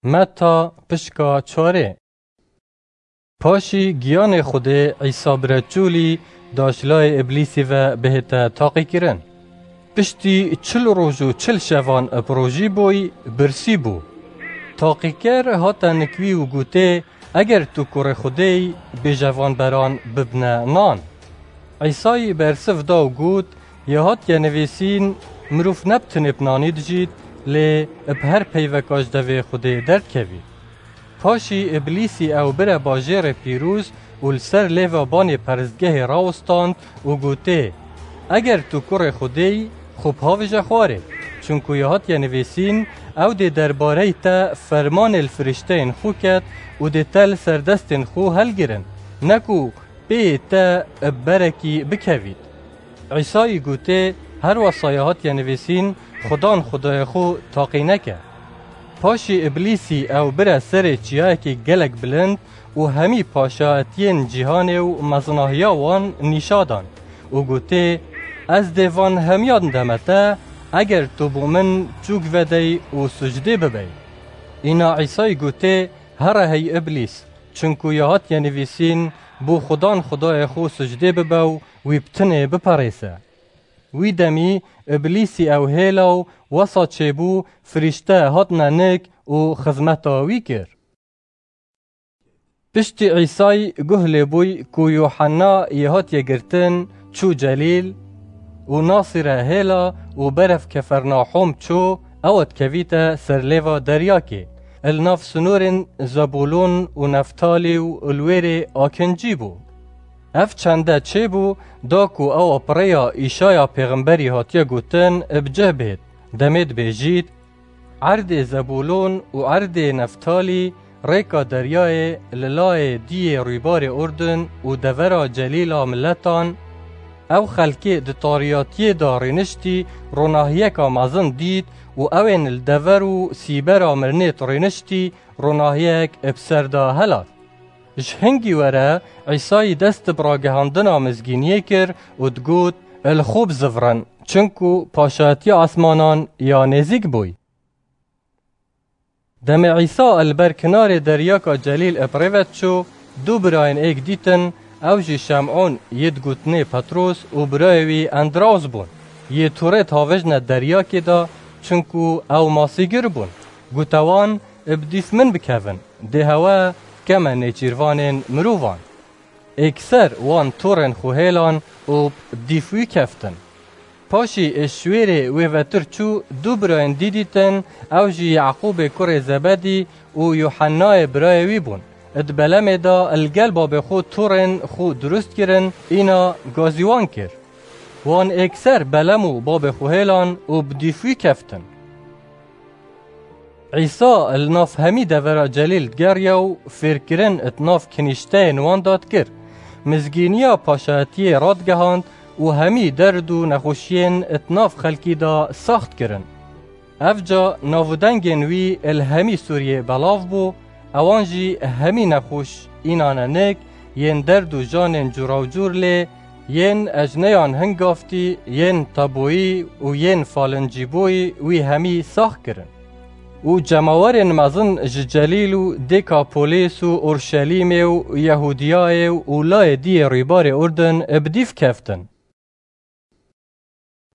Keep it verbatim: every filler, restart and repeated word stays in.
Meta pişka çarê. Paşî giyanê Xwedê Îsa bi reçûlî da ji layê Îblîsî ve bihête taqîkirin. Piştî çil roj û çil şevan bi rojî bûy, birsî bû. Taqîker hate nik wî û gotê, Eger tu kurê Xwedê yî, bêje van beran bibne nan. Îsayî bersiv da û got, Ya hatiye nivîsîn, Mirov ne bi tinê bi nanî dijît, lê bi her peyveka ji devê Xwedê derdikevî. Paşî Îblîsî ew bire bajêrê pîroz û li ser lêva banê peristgehê rawistand û gotê, Eger tu kurê Xwedê yî, xwe bihavêje xwarê. Çunku ya hatiye nivîsîn, Ew dê derbareyî te fermanê li firîşteyên xwe ket û dê te li ser destên xwe helgirin, ne ku pêyê te bi berekî bikevît. Îsayî gotê, Her wesa ya hatiye nivîsîn, Xudan Xwedayê xwe taqî neke. Paşî Îblîsî ew bire serê çiyayekî gelek bilind û hemî paşayetiyên cîhanê û mezinahiya wan nîşa dan û gotê, Ez dê van hemiyan deme te, eger tu bo min çûk vedey û sucdê bibey. Îna Îsayî gotê, Here hey Îblîs, çunku ya hatiye nivîsîn, Bo Xudan Xwedayê xwe sucdê bibe û wî bi tinê biperêse. Wî demî Îblîsî ew hêla û wesa çêbû, firîşte hatine nik û xizmeta wî kir. Piştî Îsay guh lê bûy ku Yuhanna yê hatiye girtin, çû Celîl û Nasîre hêla û berev Kefernahûm çû, ew dikevîte ser lêva deryakê, li nav sinorên Zebûlûn û Neftalî û li wêrê akincî bû. Ev çende çêbû, da ku ewa bi rêya Îşaya pêxemberî hatiye gotin bi cih bêt, demê dibêjît, Erdê Zebûlûn û erdê Neftalî, rêka deryayê li layê diyê rûybarê Urdun û devera Celîla miletan, ew xelkê di tariyatiyê de rêniştî ronahiyeka mezin dît û ewên li dever û sîbera mirinêt rêniştî ronahiyek bi ser de helat. Ji hingî were Îsayî dest bi ragihandina mizgîniyê kir û digot, Li xwe bizivirin, çinku paşayetiya esmanan ya nêzîk bûy. Demê Îsa li ber kinarê deryaka Celîl bi rê ve diçû, du birayên êk dîtin, ew jî Şem'ûn yê digotinê Petros û birayê wî Endraws bûn. Yê torê havêjne deryakê de, çinku ew masîgir bûn. Gote wan, Bi dîf min bikevin, dê hewe keme nêçîrvanên mirovan. Êkser wan torên xwe hêlan û bi dîf wî keftin. Paşî ê şwêrê wê vetir çû, du birayên dî dîtin, ew jî Yaqûbê kurê Zebedî û Yuhennayê birayê wî bûn. Di belemê de li gel babê xwe torên xwe dirust kirin, îna gazî wan kir. Wan êkser belem û babê xwe hêlan û bi dîf wî keftin. Îsa li nav hemî devera Celîl digeriya û fêrkirin di nav kinîşteyên wan de dikir. Mizgîniya paşayetiyê radigehand û hemî derd û nexweşiyên di nav xelkî de saxt kirin. Evca nav û dengên wî li hemî Sûriyê belav bû, ewan jî hemî nexweş, înane nik, yên derd û janên cûrawcûr lê, yên ecneyan hingaftî, yên taboyî û yên falincîbûyî wî hemî sax kirin. Û cemawerên mezin ji Celîl û Dêkapolîs û Orşelîmê û Yehûdiyayê û layê diyê rûybarê Urdun bi dîf keftin.